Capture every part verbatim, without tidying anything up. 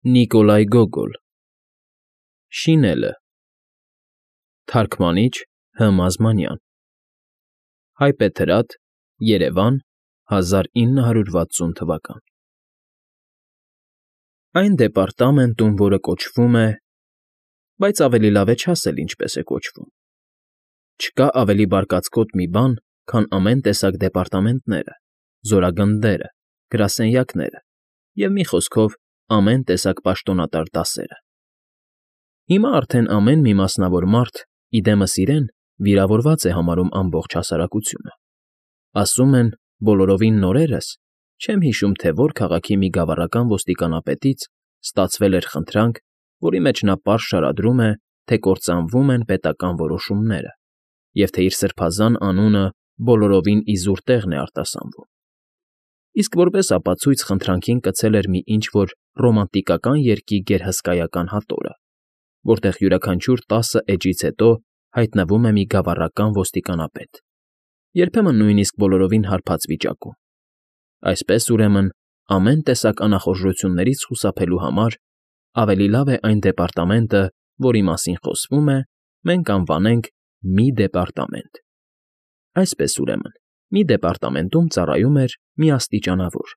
Նիկոլայ Գոգոլ Շինելը Թարգմանիչ Հ Մազմանյան Հայբեթրատ Երևան հազար ինը հարյուր վաթսուն թվական Այն դեպարտամենտում, որը կոչվում է, բայց ավելի լավ է չասել ինչպես է կոչվում, չկա ավելի բարկացկոտ մի բան, քան ամեն տեսակ դեպարտամենտները, զորագնդերը, գրասենյակները և, մի խոսքով, ամեն տեսակ պաշտոնատար դասերը. Հիմա արդեն ամեն մի մասնավոր մարդ, ի դեմս իրեն, վիրավորված է համարում ամբողջ հասարակությունը, ասում են, բոլորովին նորերս, չեմ հիշում, թե որ քաղաքի մի գավառական ոստիկանապետից ստացվել էր խնդրանք, որի մեջ նա պարզ շարադրում է, թե կործանվում են պետական որոշումները և թե իր սրբազան անունը բոլորովին իզուր տեղն է արտասանվում, իսկ որպես ապացույց խնդրանքին կցել էր մի ինչ֊որ ռոմանտիկական երգի գերհսկայական հատորը, որտեղ յուրաքանչյուր տասը էջից հետո հայտնվում է մի գավառական ոստիկանապետ, երբեմն նույնիսկ բոլորովին հարբած վիճակում. այսպես, ուրեմն, ամեն տեսակ անախորժություններից խուսափելու համար ավելի լավ է այն դեպարտամենտը, որի մասին խոսվում է, մենք անվանենք մի դեպարտամենտ. այսպես, ուրեմն, մի դեպարտամենտում ծառայում էր մի աստիճանավոր,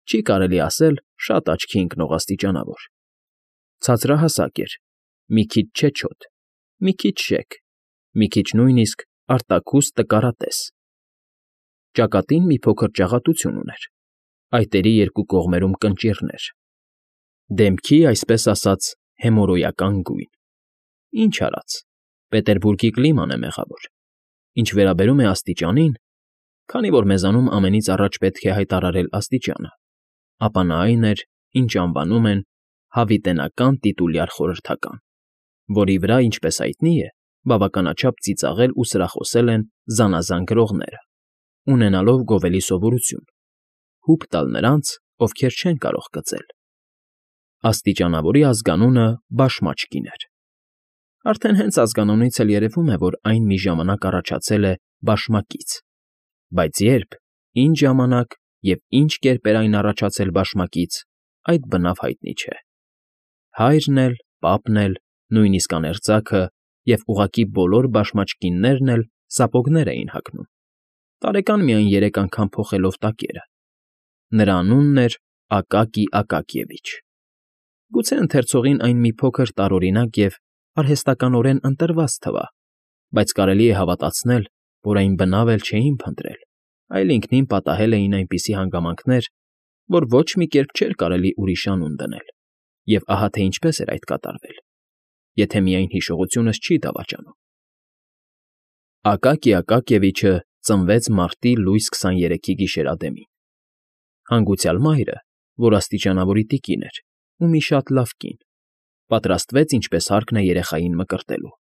չի կարելի ասել շատ աչքի ընկնող աստիճանավոր, ցածրահասակ էր, մի քիչ չեչոտ, մի քիչ շեկ, մի քիչ նույնիսկ արտաքուստ տկարատես, ճակատին մի փոքր ճաղատություն ուներ, այտերի երկու կողմերում կնճիռներ, դեմքի, այսպես ասած, հեմորոյական գույն. ինչ արած, Պետերբուրգի կլիման է մեղավոր, ինչ վերաբերում է աստիճանին, քանի որ մեզանում ամենից առաջ պետք է հայտարարել աստիճանը, ապա նա այն էր, ինչ անվանում են հավիտենական տիտուլյար խորհրդական, որի վրա, ինչպես հայտնի է, բավականաչափ ծիծաղել ու սրախոսել են զանազան գրողները, ունենալով գովելի սովորություն, հուպ տալ նրանց, ովքեր չեն կարող կծել. աստիճանավորի ազգանունը Բաշմաճկին էր. արդեն հենց ազգանունից էլ երևում է, որ այն մի ժամանակ առաջացել է բաշմակից, բայց երբ, ինչ ժամանակ և ինչ կերպ էր այն առաջացել բաշմակից, այդ բնավ հայտնի չէ. հայրն էլ, պապն էլ, նույնիսկ աներձակը և ուղղակի բոլոր բաշմաճկիններն էլ սապոգներ էին հագնում, տարեկան միայն երեք անգամ փոխելով տակերը. նրա անունն էր Ակակի Ակակիևիչ, գուցե ընթերցողին այն մի փոքր տարօրինակ և արհեստականորեն ընտրված թվա, բայց կարելի է հավատացնել, որ այն բնավ էլ չէին փնտրել, այլ ինքնին պատահել էին այնպիսի հանգամանքներ, որ ոչ մի կերպ չէր կարելի ուրիշ անուն դնել, և ահա թե ինչպես էր այդ կատարվել, եթե միայն հիշողությունս չի դավաճանում. Ակակի Ակակիևիչը ծնվեց մարտի լույս քսաներեքի գիշերադեմին, հանգուցյալ մայրը, որ աստիճանավորի տիկին էր ու մի շատ լավ կին, պատրաստվեց ինչպես հարկն է երեխային մկրտելու.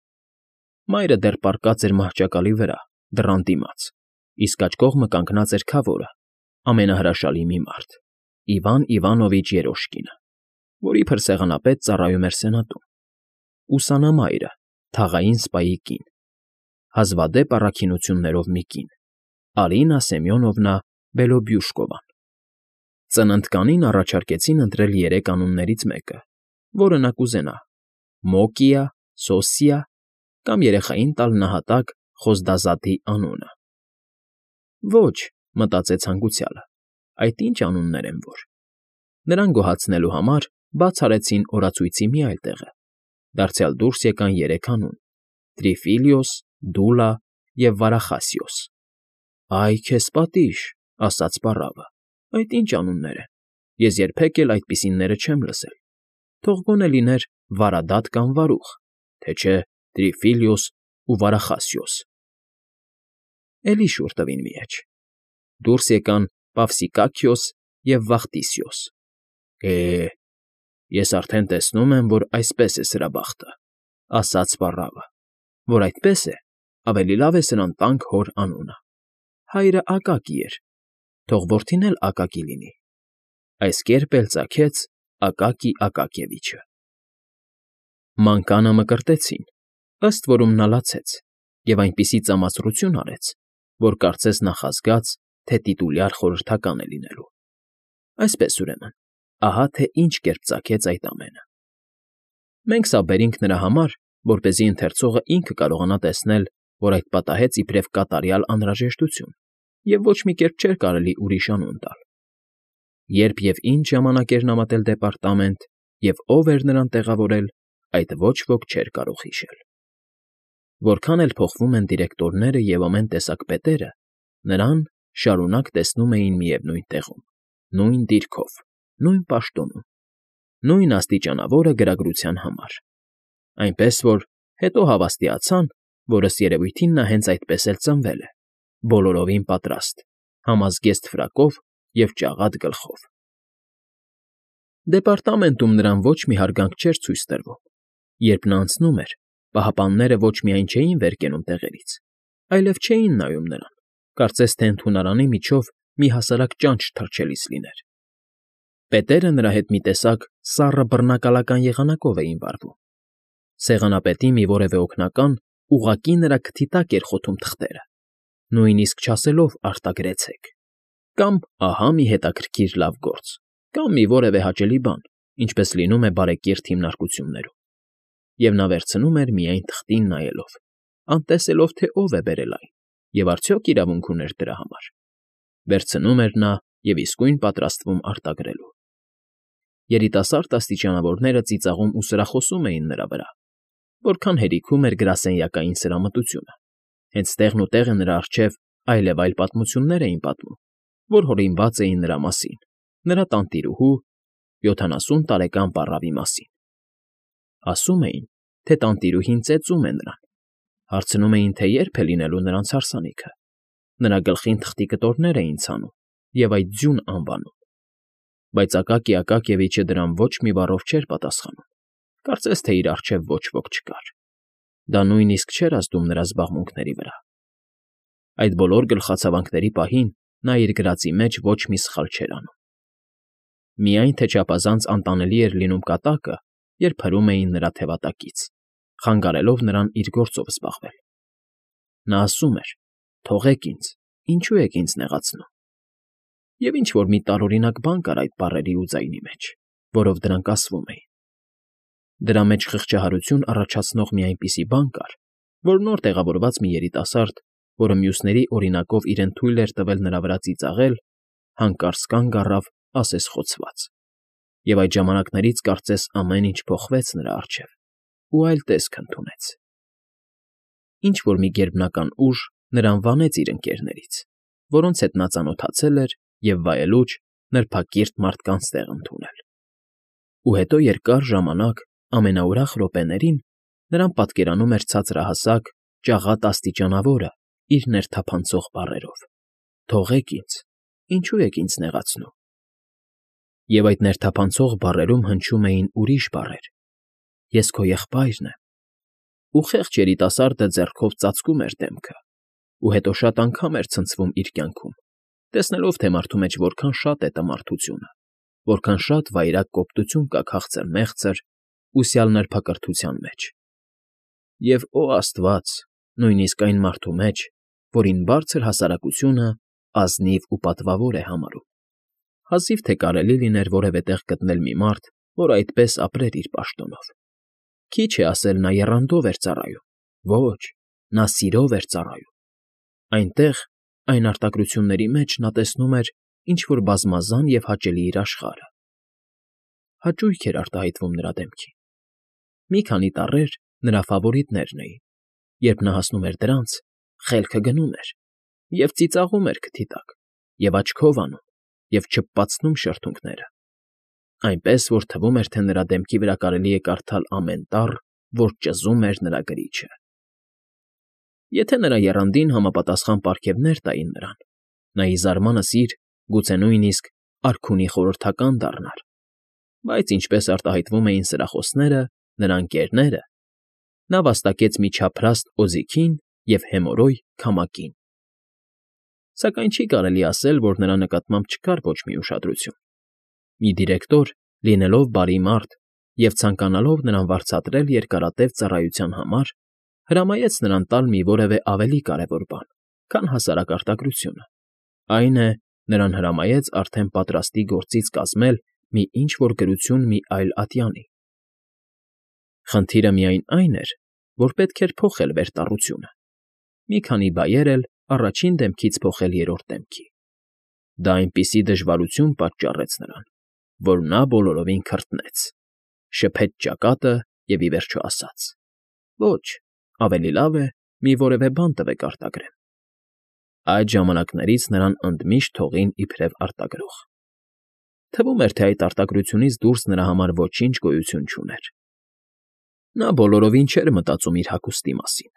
մայրը դեռ պառկած էր մահճակալի վրա, դռան դիմաց, իսկ աջ կողմը կանգնած էր քավորը, ամենահրաշալի մի մարդ, Իվան Իվանովիչ Երոշկինը, որի փրսեղանապետ ծառայում էր սենատում, ուսանամայրը, թաղային սպայի կին, հազվադեպ առաքինություններով մի կին, Արինա Սեմյոնովնա Բելոբյուշկովան. ծննդկանին առաջարկեցին ընտրել երեք անուններից մեկը, որը նա կուզենա՝ Մոկիա, Սոսիա կամ երեխային տալ նահատակ Խոզդազադի անունը։ Ոչ, մտածեց հանգուցյալը, այդ ինչ անուններ են որ… Նրան գոհացնելու համար բաց արեցին օրացույցի մի այլ տեղը, դարձյալ դուրս եկան երեք անուն՝ Տրիֆիլիոս, Դուլա և Վարախասիոս։ Այ քեզ պատիժ, ասաց պառավը, այդ ինչ անուններ են, ես երբեք էլ այդպիսինները չեմ լսել, թող գոնե լիներ Վարադատ կամ Վարուխ, թե չէ Տրիֆիլիոս ու Վարախասիոս։ Էլի շուռ տվին մի էջ, դուրս եկան Պավսիկաքիոս և Վախտիսիոս։ Է, ես արդեն տեսնում եմ, որ այսպես է սրա բախտը, ասաց պառավը, որ այդպես է, ավելի լավ է սրան տանք հոր անունը, հայրը Ակակի էր, թող որդին էլ Ակակի լինի, այս կերպ էլ ծագեց Ակակի Ակակիևիչը։ Մանկանը մկրտեցին, ըստ որում նա լացեց և այնպիսի ծամացրություն արեց, որ կարծես նախազգաց, թե տիտուլյար խորհրդական է լինելու։ Այսպես, ուրեմն, ահա թե ինչ կերպ ծագեց այդ ամենը։ Մենք սա բերինք նրա համար, որպեսզի ընթերցողը ինքը կարողանա տեսնել, որ այդ պատահեց իբրև կատարյալ անհրաժեշտություն, և ոչ մի կերպ չէր կարելի ուրիշ անուն տալ։ Երբ և ինչ ժամանակ էր նա մտել դեպարտամենտ և ով էր նրան տեղավորել, այդ ոչ ոք չէր կարող հիշել։ Որքան էլ փոխվում են դիրեկտորները և ամեն տեսակ պետերը, նրան շարունակ տեսնում էին միևնույն տեղում, նույն դիրքով, նույն պաշտոնում, նույն աստիճանավորը գրագրության համար, այնպես որ հետո հավաստիացան, որ ըստ երևույթին նա հենց այդպես էլ ծնվել է, բոլորովին պատրաստ, համազգեստ ֆրակով և ճաղատ գլխով։ Դեպարտամենտում նրան ոչ մի հարգանք չէր ցույց տրվում։ Երբ նա անցնում էր, պահապանները ոչ միայն չէին վեր կենում տեղերից, այլև չէին նայում նրան, կարծես թե ընդունարանի միջով մի հասարակ ճանճ թռչելիս լիներ։ Պետերը նրա հետ մի տեսակ սառը բռնակալական եղանակով էին վարվում։ Սեղանապետի մի որևէ օգնական ուղղակի նրա քթի տակ էր խոթում թղթերը, նույնիսկ չասելով «արտագրեցեք», կամ «ահա մի հետաքրքիր լավ գործ», կամ մի որևէ հաճելի բան, ինչպես լինում է բարեկիրթ հիմնարկություններում, և նա վերցնում էր միայն թղթին նայելով, անտեսելով, թե ով է բերել այն և արդյոք իրավունք ուներ դրա համար, վերցնում էր նա և իսկույն պատրաստվում արտագրելու։ Երիտասարդ աստիճանավորները ծիծաղում ու սրախոսում էին նրա վրա, որքան հերիքում էր գրասենյակային սրամտությունը, հենց տեղն ու տեղը նրա առջև այլևայլ պատմություններ էին պատմում, որ հորինված էին նրա մասին, նրա տանտիրուհու, յոթանասուն տարեկան պառավի մասին։ Ասում էին, թե տանտիրուհին ծեծում է նրան, հարցնում էին, թե երբ է լինելու նրանց հարսանիքը, նրա գլխին թղթի կտորներ էին ցանում և այդ ձյուն անվանում, բայց Ակակի Ակակիևիչը դրան ոչ մի բառով չէր պատասխանում, կարծես թե իր առջև ոչ ոք չկար։ Դա նույնիսկ չէր ազդում նրա զբաղմունքների վրա։ Այդ բոլոր գլխացավանքների պահին նա իր գրածի մեջ ոչ մի սխալ չէր անում։ Միայն թե չափազանց անտանելի էր լինում կատակը, երբ հրում էին նրա թևատակից, խանգարելով նրան իր գործով զբաղվել։ Նա ասում էր. «Թողեք ինձ, ինչու եք ինձ նեղացնում»։ Եվ ինչ֊որ մի տարօրինակ բան կար այդ բառերի ու ձայնի մեջ, որով դրանք ասվում էին։ Դրա մեջ խղճահարություն առաջացնող մի այնպիսի բան կար, որ նոր տեղավորված մի երիտասարդ, որը մյուսների օրինակով իրեն թույլ էր տվել նրա վրա ծիծաղել, հանկարծ կանգ առավ ասես֊խոցված, և այդ ժամանակներից կարծես ամեն ինչ փոխվեց նրա առջև ու այլ տեսք ընդունեց։ Ինչ֊որ մի գերբնական ուժ նրան վանեց իր ընկերներից, որոնց հետ նա ծանոթացել էր և վայելուչ, նրբակիրթ մարդկանց տեղ ընդունել։ Ու հետո երկար ժամանակ, ամենաուրախ րոպեներին նրան պատկերանում էր ցածրահասակ, ճաղատ աստիճանավորը իր ներթափանցող բառերով. «Թողեք ինձ, ինչու եք ինձ նեղացնում»։ Եվ այդ ներթափանցող բառերում հնչում էին ուրիշ բառեր. «Ես քո եղբայրն եմ»։ Ու խեղճ երիտասարդը ձեռքով ծածկում էր դեմքը, ու հետո շատ անգամ էր ցնցվում իր կյանքում, տեսնելով, թե մարդու մեջ որքան շատ է տմարդությունը, որքան շատ վայրագ կոպտություն կա քաղցր֊մեղցր, ուսյալ նրբակրթության մեջ։ Եվ, օ աստված, նույնիսկ այն մարդու մեջ, որին բարձր հասարակությունը ազնիվ ու պատվավոր է համարում։ Հազիվ թե կարելի լիներ որևէ տեղ գտնել մի մարդ, որ այդպես ապրեր իր պաշտոնով։ Քիչ է ասել նա եռանդով էր ծառայում, ոչ, նա սիրով էր ծառայում։ Այնտեղ, այն արտագրությունների մեջ նա տեսնում էր ինչ֊որ բազմազան և հաճելի իր աշխարհը։ Հաճույք էր արտահայտվում նրա դեմքին։ Մի քանի տառեր նրա ֆավորիտներն էին, երբ նա հասնում էր դրանց, խելքը գնում էր, և ծիծաղում էր քթի տակ, և աչքով անում, և չփպացնում շրթունքները, այնպես որ թվում էր, թե նրա դեմքի վրա կարելի է կարդալ ամեն տառ, որ ճզում էր նրա գրիչը։ Եթե նրա եռանդին համապատասխան պարգևներ տային նրան, նա ի զարմանս իր, գուցե նույնիսկ արքունի խորհրդական դառնար, բայց ինչպես արտահայտվում էին սրախոսները, նրա ընկերները, նա վաստակեց մի չափրաստ օձիքին և հեմորոյ քամակին։ Սակայն չի կարելի ասել, որ նրա նկատմամբ չկար ոչ մի ուշադրություն։ Մի դիրեկտոր, լինելով բարի մարդ և ցանկանալով նրան վարձատրել երկարատև ծառայության համար, հրամայեց նրան տալ մի որևէ ավելի կարևոր բան, քան հասարակ արտագրությունը, այն է, նրան հրամայեց արդեն պատրաստի գործից կազմել մի ինչ֊որ գրություն մի այլ ատյանի։ Խնդիրը միայն այն էր, որ պետք էր փոխել վերտառությունը, մի քանի բայեր էլ առաջին դեմքից փոխել երրորդ դեմքի։ Դա այնպիսի դժվարություն պատճառեց նրան, որ նա բոլորովին քրտնեց, շփեց ճակատը և ի վերջո ասաց. «Ոչ, ավելի լավ է մի որևէ բան տվեք արտագրեմ»։ Այդ ժամանակներից նրան ընդմիշտ թողին իբրև արտագրող։ Թվում էր, թե այդ արտագրությունից դուրս նրա համար ոչինչ գոյություն չուներ։ Նա բոլորովին չէր մտածում իր հագուստի մասին։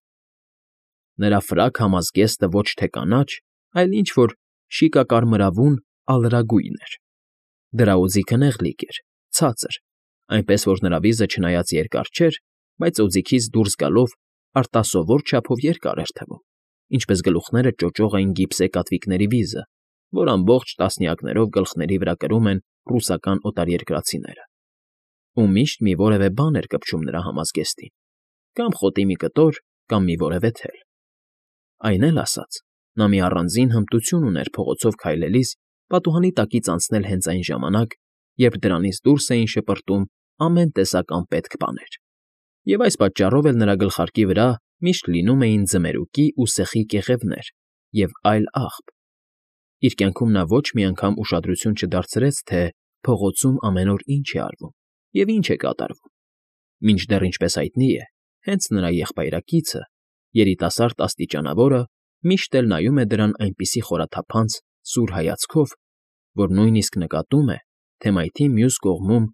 Նրա ֆրակ համազգեստը ոչ թե կանաչ, այլ ինչ֊որ շիկակարմրավուն ալրագույն էր։ Դրա օձիքը նեղլիկ էր, ցածր, այնպես որ նրա վիզը չնայած երկար չէր, բայց օձիքից դուրս գալով արտասովոր չափով երկար էր թվում, ինչպես գլուխները ճոճող էին գիպսե կատվիկների վիզը, որ ամբողջ տասնյակներով գլխների վրա կրում են ռուսական օտարերկրացիները, ու միշտ մի որևէ բան էր կպչում նրա համազգեստին, կամ խոտի մի կտոր, կամ մի որևէ թել։ Այն էլ ասած, նա մի առանձին հմտություն ուներ փողոցով քայլելիս պատուհանի տակից անցնել հենց այն ժամանակ, երբ դրանից դուրս էին շպրտում ամեն տեսակ անպետք բաներ, և այս պատճառով էլ նրա գլխարկի վրա միշտ լինում էին ձմերուկի ու սեխի կեղևներ և այլ աղբ։ Իր կյանքում նա ոչ մի անգամ ուշադրություն չդարձրեց, թե փողոցում ամեն օր ինչ է արվում և ինչ է կատարվում, մինչդեռ, ինչպես հայտնի է, հենց նրա եղբայրակիցը, երիտասարդ աստիճանավորը, միշտ էլ նայում է դրան այնպիսի խորաթափանց, սուր հայացքով, որ նույնիսկ նկատում է, թե մայթի մյուս կողմում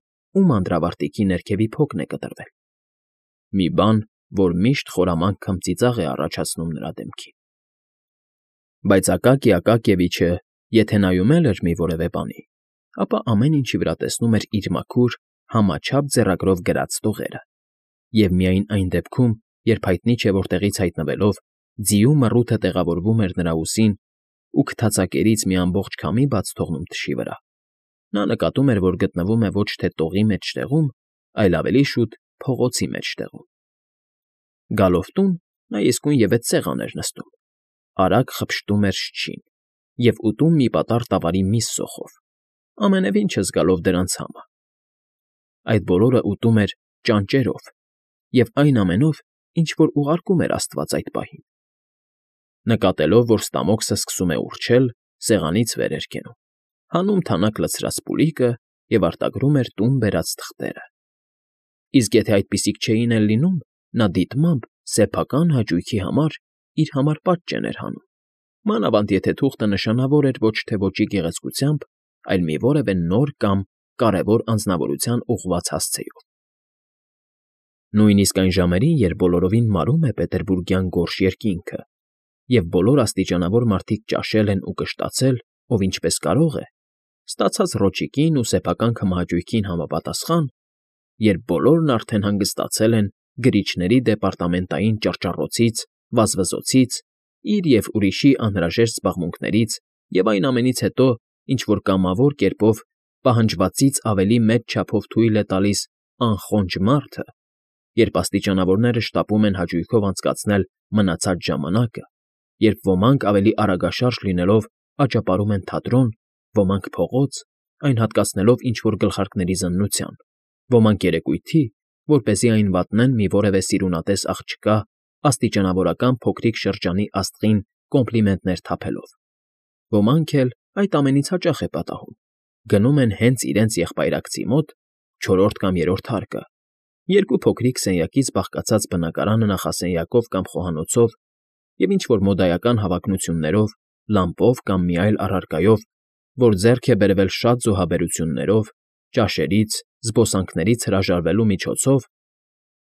ում անդրավարտիքի ներքևի փոքն է կտրվել։ Մի բան, որ միշտ խորամանկ քմծիծաղ է առաջացնում նրա դեմքին։ Բայց Ակակի Ակակիևիչը, եթե նայում էլ էր մի որևէ բանի, ապա ամեն ինչի վրա տեսնում էր իր մաքուր, համաչափ ձեռագրով գրած տողերը, և միայն այն դեպքում, երբ հայտնի չէ որտեղից հայտնվելով, ձիու մռութը տեղավորվում էր նրա ուսին ու քթացակերից մի ամբողջ քամի բաց թողնում թշի վրա, նա նկատում էր, որ գտնվում է ոչ թե տողի մեջտեղում, այլ ավելի շուտ փողոցի մեջտեղում։ Գալով տուն, նա իսկույնևեթ սեղան էր նստում, արագ խփշտում էր շչին և ուտում մի պատառ տավարի միս սոխով, ամենևին չզգալով դրանց համը։ Այդ բոլորը ուտում էր ճանճերով և այն ամենով, ինչ որ ուղարկում էր աստված այդ պահին։ Նկատելով, որ ստամոքսը սկսում է ուռչել, սեղանից վեր էր կենում, հանում թանաք լցրած պուրիկը և արտագրում էր տուն բերած թղթերը։ Իսկ եթե այդպիսիք չէին էլ լինում, նա դիտմամբ սեփական հաճույքի համար իր համար պատճեն էր հանում, մանավանդ եթե թուղթը նշանավոր էր ոչ թե ոճի գեղեցկությամբ, այլ մի որևէ նոր կամ կարևոր անձնավորության ուղղված հասցեով։ Նույնիսկ այն ժամերին, երբ բոլորովին մարում է պետերբուրգյան գորշ երկինքը, և բոլոր աստիճանավոր մարդիկ ճաշել են ու կշտացել, ով ինչպես կարող է, ստացած ռոճիկին ու սեփական քմահաճույքին համապատասխան, երբ բոլորն արդեն հանգստացել են գրիչների դեպարտամենտային ճռճռոցից, վազվզոցից, իր և ուրիշի անհրաժեշտ զբաղմունքներից և այն ամենից հետո, ինչ որ կամավոր կերպով պահանջվածից ավելի մեծ չափով թույլ է տալիս անխոնջ մարդը, երբ աստիճանավորները շտապում են հաճույքով անցկացնել մնացած ժամանակը, երբ ոմանք ավելի արագաշարժ լինելով աճապարում են թատրոն, ոմանք փողոց, այն հատկացնելով ինչ֊որ գլխարկների զննության, ոմանք երեկույթի, որպեսզի այն վատնեն մի որևէ սիրունատես աղջկա աստիճանավորական փոքրիկ շրջանի աստղին կոմպլիմենտներ թափելով, ոմանք էլ, այդ ամենից հաճախ է պատահում, գնում են հենց իրենց եղբայրակցի մոտ, չորրորդ կամ երրորդ հարկը, երկու փոքրիկ սենյակից բաղկացած բնակարանը նախասենյակով կամ խոհանոցով և ինչ֊որ մոդայական հավակնություններով, լամպով կամ մի այլ առարկայով, որ ձեռք է բերվել շատ զոհաբերություններով, ճաշերից, զբոսանքներից հրաժարվելու միջոցով,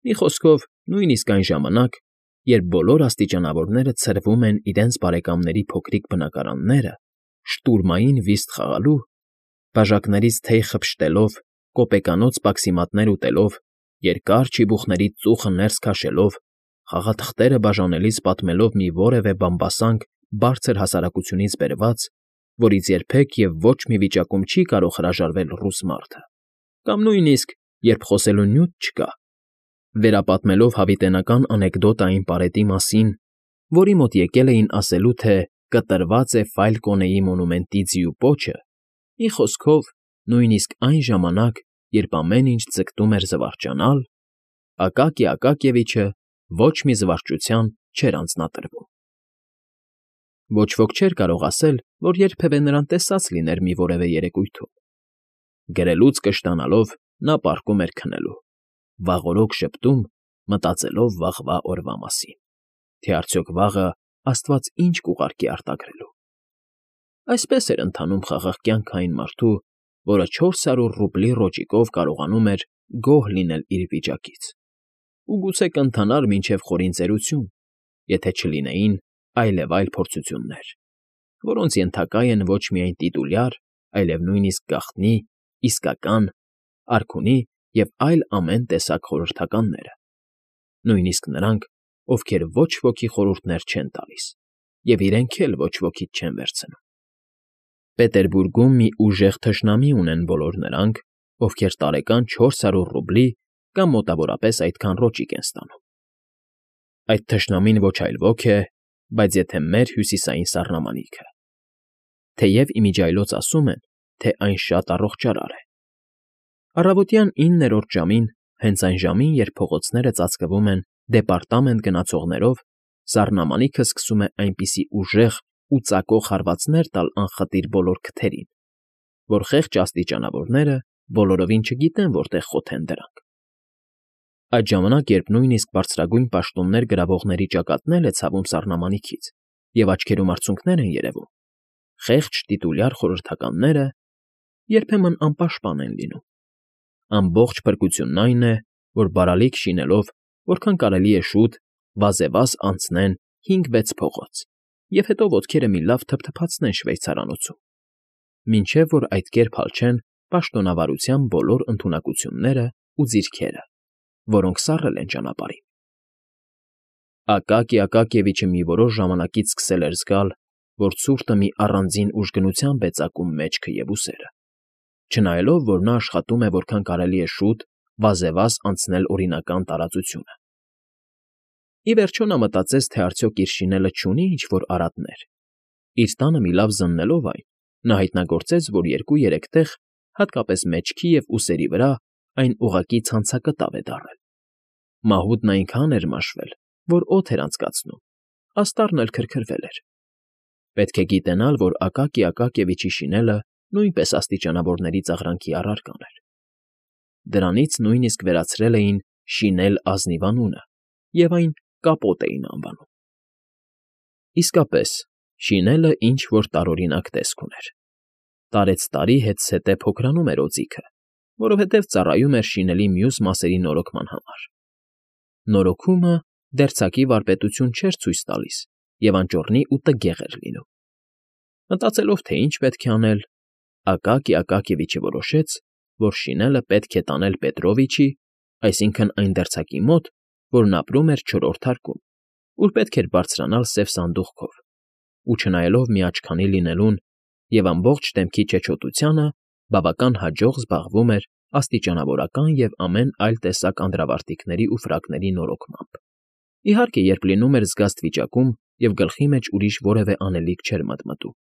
մի խոսքով, նույնիսկ այն ժամանակ, երբ բոլոր աստիճանավորները ցրվում են իրենց բարեկամների փոքրիկ բնակարանները, շտուրմային վիստ խաղալու, բաժակներից թեյ խփշտելով, կոպեկանոց պաքսիմատներ ուտելով, երկար չիբուխներից ծուխը ներս քաշելով, խաղաթղթերը բաժանելիս պատմելով մի որևէ բամբասանք բարձր հասարակությունից բերված, որից երբեք և ոչ մի վիճակում չի կարող հրաժարվել ռուս մարդը, կամ նույնիսկ, երբ խոսելու նյութ չկա, վերապատմելով հավիտենական անեկդոտային պարետի մասին, որի մոտ եկել էին ասելու, թե կտրված է Ֆայլկոնեի մոնումենտի ձիու պոչը, մի խոսքով, նույնիսկ այն ժամանակ, երբ ամեն ինչ ձգտում էր զվարճանալ, Ակակի Ակակիևիչը ոչ մի զվարճության չէր անձնատրվում։ Ոչ ոք չէր կարող ասել, որ երբևէ նրան տեսած լիներ մի որևէ երեկույթում։ Գրելուց կշտանալով նա պառկում էր քնելու, վաղօրոք ժպտում, մտածելով վաղվա օրվա մասին, թե արդյոք վաղը աստված ինչ կուղարկի արտագրելու։ Այսպես էր ընթանում խաղաղ կյանքը այն մարդու, որը չորս հարյուր ռուբլի ռոճիկով կարողանում էր գոհ լինել իր վիճակից, ու գուցե կընթանար մինչև խորին ծերություն, եթե չլինեին այլևայլ փորձություններ, որոնց ենթակա են ոչ միայն տիտուլյար, այլև նույնիսկ գաղտնի, իսկական, արքունի և այլ ամեն տեսակ խորհրդականները, նույնիսկ նրանք, ովքեր ոչ ոքի խորհուրդներ չեն տալիս և իրենք էլ ոչ ոքից չեն վերցնում։ Պետերբուրգում մի ուժեղ թշնամի ունեն բոլոր նրանք, ովքեր տարեկան չորս հարյուր ռուբլի կամ մոտավորապես այդքան ռոճիկ են ստանում։ Այդ թշնամին ոչ այլ ոք է, բայց եթե մեր հյուսիսային սառնամանիքը, թեև իմիջիայլոց ասում են, թե այն շատ առողջարար է։ Առավոտյան իններորդ ժամին, հենց այն ժամին, երբ փողոցները ծածկվում են դեպարտամենտ գնացողներով, սառնամանիքը սկսում է այնպիսի ուժեղ ու ծակող հարվածներ տալ անխտիր բոլոր քթերին, որ խեղճ աստիճանավորները բոլորովին չգիտեն որտեղ խոթեն դրանք։ Այդ ժամանակ, երբ նույնիսկ բարձրագույն պաշտոններ գրավողների ճակատն է ցավում սառնամանիքից և աչքերում արցունքներ են երևում, խեղճ տիտուլյար խորհրդականները երբեմն անպաշտպան են լինում։ Ամբողջ փրկությունն այն է, որ բարալիկ շինելով, որքան կարելի է շուտ, վազեվազ անցնեն հինգ֊վեց փողոց և հետո ոտքերը մի լավ թփթփացնեն շվեյցարանոցում, մինչև որ այդ կերպ հալչեն պաշտոնավարության բոլոր ընդունակությունները ու ձիրքերը, որոնք սառել են ճանապարհին։ Ակակի Ակակիևիչը մի որոշ ժամանակից սկսել էր զգալ, որ ցուրտը մի առանձին ուժգնությամբ է ծակում մեջքը և ուսերը, չնայելով, որ նա աշխատում է որքան կարելի է շուտ վազեվազ անցնել օրինական տարածությունը։ Ի վերջո նա մտածեց, թե արդյոք իր շինելը չունի ինչ֊որ արատներ։ Իր տանը մի լավ զննելով այն, նա հայտնագործեց, որ երկու֊երեք տեղ, հատկապես մեջքի և ուսերի վրա, այն ուղղակի ցանցակտավ է դառել։ Մահուտն այնքան էր մաշվել, որ օդ էր անցկացնում, աստառն էլ քրքրվել էր։ Պետք է գիտենալ, որ Ակակի Ակակիևիչի շինելը նույնպես աստիճանավորների ծաղրանքի առարկան էր։ Դրանից նույնիսկ վերացրել էին «շինել ազնիվ» անունը և այն կապոտ էին անվանում։ Իսկապես, շինելը ինչ֊որ տարօրինակ տեսք ուներ։ Տարեցտարի հետզհետե փոքրանում էր օձիքը, որովհետև ծառայում էր շինելի մյուս մասերի նորոգման համար։ Նորոգումը դերձակի վարպետություն չէր ցույց տալիս և անճոռնի ու տգեղ էր լինում։ Մտածելով, թե ինչ պետք է անել, Ակակի Ակակիևիչը որոշեց, որ շինելը պետք է տանել Պետրովիչի, այսինքն՝ այն դերձակի մոտ, որն ապրում էր չորրորդ հարկում, ուր պետք էր բարձրանալ սև սանդուղքով, ու չնայելով մի աչքանի լինելուն և ամբողջ դեմքի չեչոտությանը, բավական հաջող զբաղվում էր աստիճանավորական և ամեն այլ տեսակ անդրավարտիքների ու ֆրակների նորոգմամբ։ Իհարկե, երբ լինում էր զգաստ վիճակում և գլխի մեջ ուրիշ որևէ անելիք չէր մտմտում։